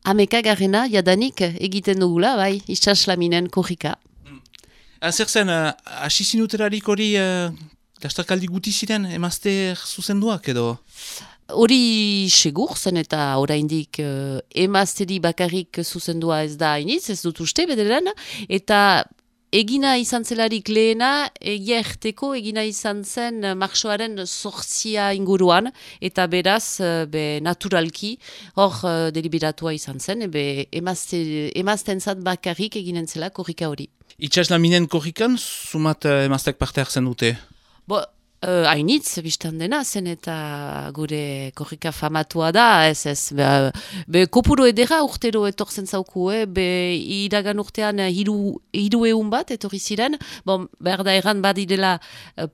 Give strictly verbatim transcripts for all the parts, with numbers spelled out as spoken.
Amekagarrena, jadanik egiten dugula, bai, itsaslaminen korrika. Zer zen, hasi uh, zinuterarik hori uh, lasterkaldi guti ziren, emazte zuzenduak edo? Hori segur zen eta oraindik uh, emazteri bakarrik zuzendua ez da hainitz, ez dut uste bederen, eta egina izan zelarik lehena, egia erteko egina izan zen marxoaren sortzia inguruan, eta beraz, be, naturalki, hor uh, deliberatua izan zen, be, emazte, emaztentzat bakarrik eginen zela korrika hori. Itsaslaminen korrikan, sumat uh, emaztek parte hartzen dute? Bo, Uh, hainitz, biztan dena, zen eta gure korrika famatua da, ez ez, be, be kopuru edera urtero etortzen zauku, eh? Be iragan urtean hiru, hiru eun bat etorri ziren, bon, behar da erran badidela,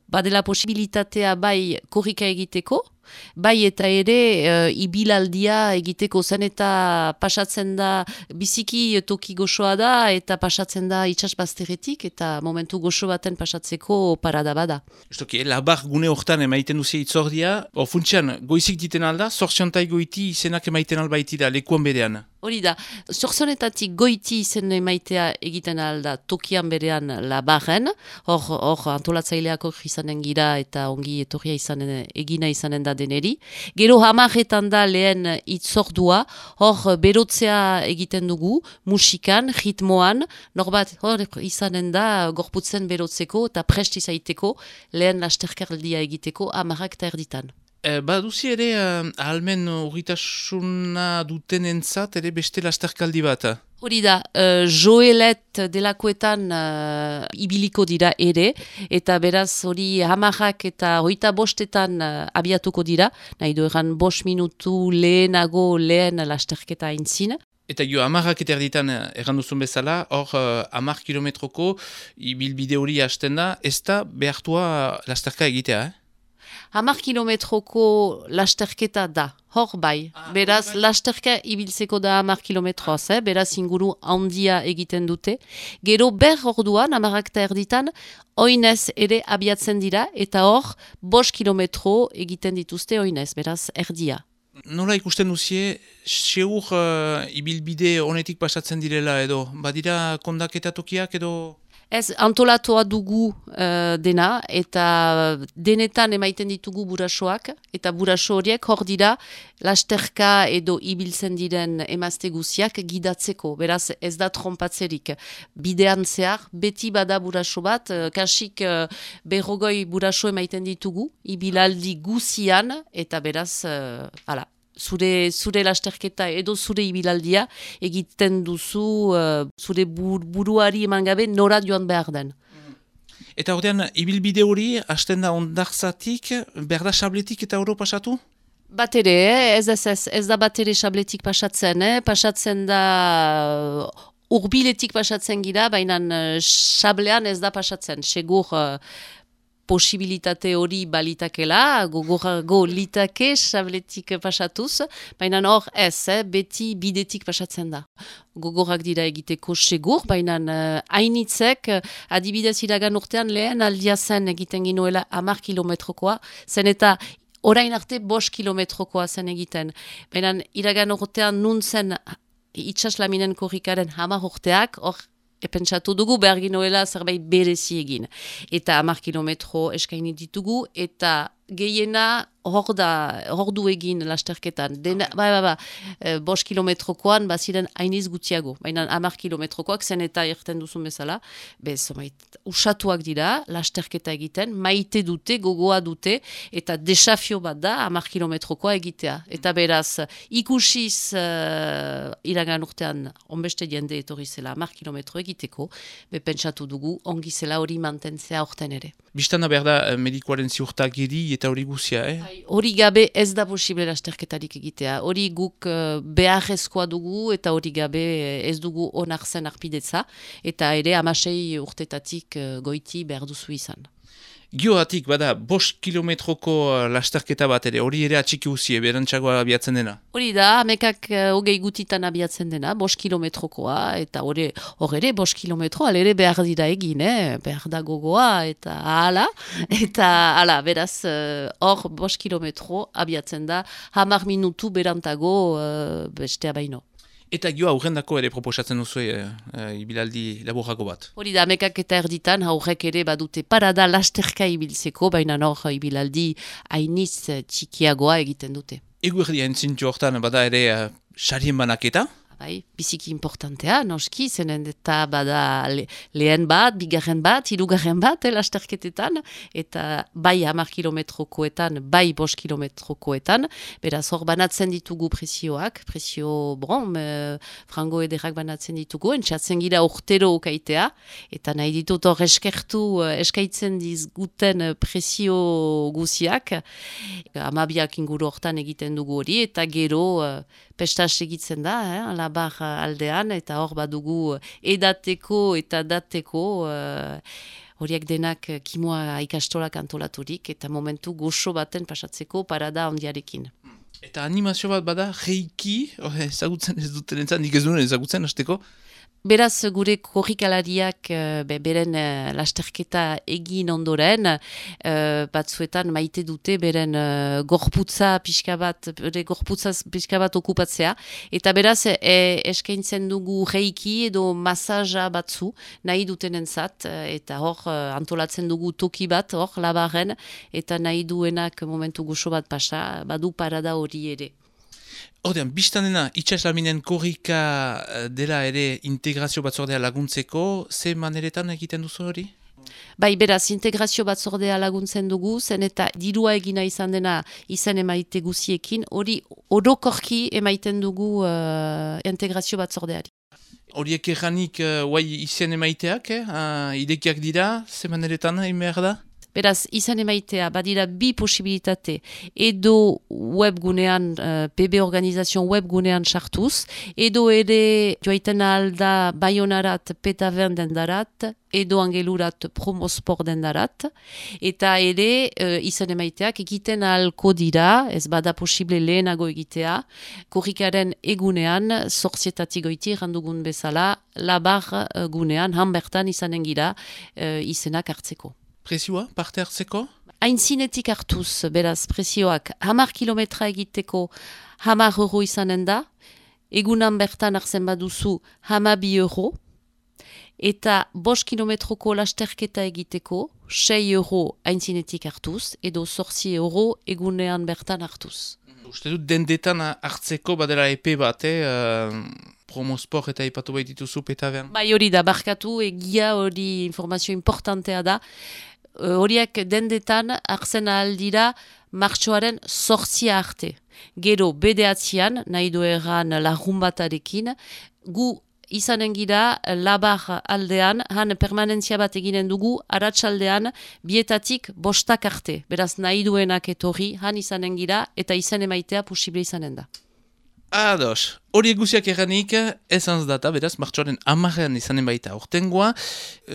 badela posibilitatea bai korrika egiteko, bai eta ere uh, ibilaldia egiteko zen eta pasatzen da biziki toki goxoa da eta pasatzen da itsasbazterretik eta momentu goxo baten pasatzeko parada bada. Justoki, labar gune hortan emaiten duzia itzordia, o funtsian goizik diten alda, zortziontai goiti izenak emaiten albaiti da, lekuan berean. Hori da, zorzonetatik goiti izen emaitea egiten alda tokian berean labarren, hor, hor antolatzaileako izanen gira eta ongi etorria izanen, egina izanen da deneri. Gero hamarretan da lehen itzordua, hor berotzea egiten dugu, musikan, ritmoan, norbat hor izanen da gorputzen berotzeko eta prest izaiteko lehen lasterkardia egiteko hamarrak eta erditan. E, baduzi ere, uh, ahalmen urritasuna duten entzat, ere beste lasterkaldi bat? Hori da, uh, joelet delakoetan uh, ibiliko dira ere, eta beraz hori hamarrak eta hoita bostetan uh, abiatuko dira, nahi du egan bost minutu lehenago lehen lasterketa aintzin. Eta jo, amarrak eta erditan erran duzun bezala, hor uh, amar kilometroko ibilbide hori hasten da, ez da behartua lasterka egitea, eh? Hamar kilometroko lasterketa da, hor bai. Ah, beraz, bai. Lasterka ibiltzeko da hamar kilometroaz, eh? Beraz inguru handia egiten dute. Gero ber orduan, hamarrak eta erditan, oinez ere abiatzen dira, eta hor, bost kilometro egiten dituzte oinez, beraz, erdia. Nola ikusten duzie, seur uh, ibilbide honetik pasatzen direla edo, badira kondaketa tokiak edo... Ez, antolatua dugu uh, dena, eta denetan emaiten ditugu burasoak, eta buraso horiek hor dira lasterka edo ibiltzen diren emazte guziak gidatzeko, beraz ez da trompatzerik. Bidean zehar, beti bada buraso bat, uh, kasik uh, berrogoi buraso emaiten ditugu, ibilaldi guzian, eta beraz, uh, ala. Zure, zure lasterketa edo zure ibilaldia egiten duzu uh, zure bur, buruari eman gabe nora joan behar den. Eta ordean, ibilbide hori, hasten da ondartzatik, behar da sabletik eta oro pasatu? Bat ere, eh? ez, ez, ez, ez da bat ere sabletik pasatzen, eh? Pasatzen da... Uh, urbiletik pasatzen gira, baina uh, sablean ez da pasatzen, segur... Uh, posibilitate hori balitakela, gogorago litake sabletik pasatuz, baina hor ez, eh, beti bidetik pasatzen da. Gogorak dira egiteko segur, baina hainitzek, uh, adibidez iragan urtean lehen aldia zen egiten ginoela hamar kilometrokoa, zen eta orain arte bost kilometrokoa zen egiten. Baina iragan urtean nun zen itsaslaminen korrikaren hamar urteak, hor epentsatu dugu behar ginoela zerbait berezi egin. Eta hamar kilometro eskaini ditugu, eta gehiena hor da, hor du egin lasterketan. Den, ba, ba, ba, e, bost kilometrokoan baziren hainiz gutiago. Baina hamar kilometrokoak zen eta irten duzun bezala, bez, mait, usatuak dira, lasterketa egiten, maite dute, gogoa dute, eta desafio bat da hamar kilometrokoa egitea. Eta beraz, ikusiz uh, iragan urtean onbeste jende etorri zela hamar kilometro egiteko, be pentsatu dugu, ongi zela hori mantentzea orten ere. Bistana behar da medikoaren ziurtagiri eta hori guzia, eh? Hori gabe ez da posible lasterketarik egitea. Hori guk uh, beharrezkoa dugu eta hori gabe ez dugu onartzen arpidetza. Eta ere hamasei urtetatik uh, goiti behar duzu izan. Gioatik, bada, bost kilometroko lasterketa bat ere, hori ere atxiki uzie, berantxagoa abiatzen dena? Hori da, amekak uh, hogei gutitan abiatzen dena, bost kilometrokoa, eta hori hor ere bost kilometro, alere behar dira egin, eh? Behar da gogoa, eta ala, eta ala, beraz, hor uh, bost kilometro abiatzen da, hamar minutu berantago uh, bestea baino. Eta gio aurrendako ere proposatzen duzu e, e, ibilaldi laburrako bat. Hori da, amekak eta erditan, haurrek ere badute parada lasterka ibiltzeko, baina hor ibilaldi hainiz txikiagoa egiten dute. Egu erdia entzintu hortan bada ere uh, sarien banaketa? Bai, biziki importantea, noski, zenen eta bada le, lehen bat, bigarren bat, hirugarren bat, eh, lasterketetan, eta bai hamar kilometrokoetan, bai bost kilometrokoetan, beraz hor banatzen ditugu presioak, presio, bon, e, frango ederrak banatzen ditugu, entxatzen gira urtero okaitea, eta nahi ditut hor eskertu, eskaitzen dizguten presio guziak, amabiak inguru hortan egiten dugu hori, eta gero e, pestas egitzen da, eh, labar aldean, eta hor badugu edateko eta dateko, horiek denak kimoa ikastolak antolaturik, eta momentu goxo baten pasatzeko parada ondiarekin. Eta animazio bat bada, reiki, oh, ezagutzen ez duten entzat, nik ez duen ezagutzen, hasteko? Beraz, gure korrikalariak be, beren uh, lasterketa egin ondoren, uh, batzuetan maite dute beren uh, gorputza pixka bat, bere gorputza pixka bat okupatzea. Eta beraz, e, eskaintzen dugu reiki edo masaja batzu nahi dutenentzat, eta hor uh, antolatzen dugu toki bat, hor labarren, eta nahi duenak momentu goxo bat pasa, badu parada hori ere. Ordean, biztan dena, itxaslaminen korrika dela ere integrazio batzordea laguntzeko, ze maneretan egiten duzu hori? Bai, beraz, integrazio batzordea laguntzen dugu, zen eta dirua egina izan dena izan emaite guziekin, hori orokorki emaiten dugu uh, integrazio batzordeari. Horiek erranik, uh, guai izen emaiteak, eh? uh, idekiak dira, ze maneretan egin behar da? Beraz, izan emaitea, badira bi posibilitate, edo webgunean, uh, P B organizazion webgunean sartuz, edo ere joaiten alda Baionarat Petaven dendarat, edo Angelurat Promosport dendarat, eta ere uh, izan emaiteak egiten ahalko dira, ez bada posible lehenago egitea, korrikaren egunean, zorzietatik goiti, randugun bezala, labar uh, gunean, hanbertan izanen gira uh, izenak hartzeko. Presioa, parte hartzeko? Aintzinetik hartuz, beraz, presioak hamar kilometra egiteko hamar euro izanen da, egunan bertan hartzen baduzu hamabi euro, eta bost kilometroko lasterketa egiteko sei euro aintzinetik hartuz, edo zortzi euro egunean bertan hartuz. Uste dut dendetan hartzeko badela epe bat, eh? Uh... Promosport eta ipatu baitituzu petaven. Bai hori da, barkatu, egia hori informazio importantea da. Horiek dendetan hartzen ahal dira martxoaren zortzia arte. Gero bedeatzean, nahi du erran lagun batarekin, gu izanen gira labar aldean, han permanentzia bat eginen dugu, aratsaldean bietatik bostak arte. Beraz nahi duenak etorri, han izanen gira, eta izan emaitea posible izanen da. Ados, hori guziak erranik, ezanz data, beraz, martxoaren amarrean izanen baita ortengoa.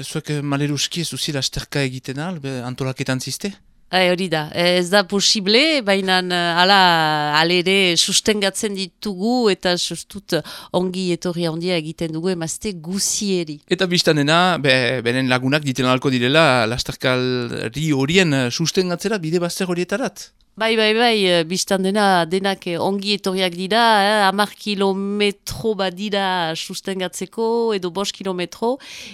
Zuek maleruski ez duzila asterka egiten al, antolaketan ziste? Hori da, ez da posible, baina ala alere sustengatzen ditugu eta sustut ongi etorri handia egiten dugu emazte guzieri. Eta biztanena, be, beren lagunak diten alko direla, lasterkalri horien sustengatzera bide bazter horietarat? Bai, bai, bai, biztan dena denak ongi etorriak dira, eh, hamar kilometro bat dira sustengatzeko, edo bost kilometro,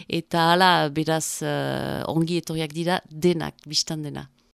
eta hala beraz uh, ongi etorriak dira denak biztan dena.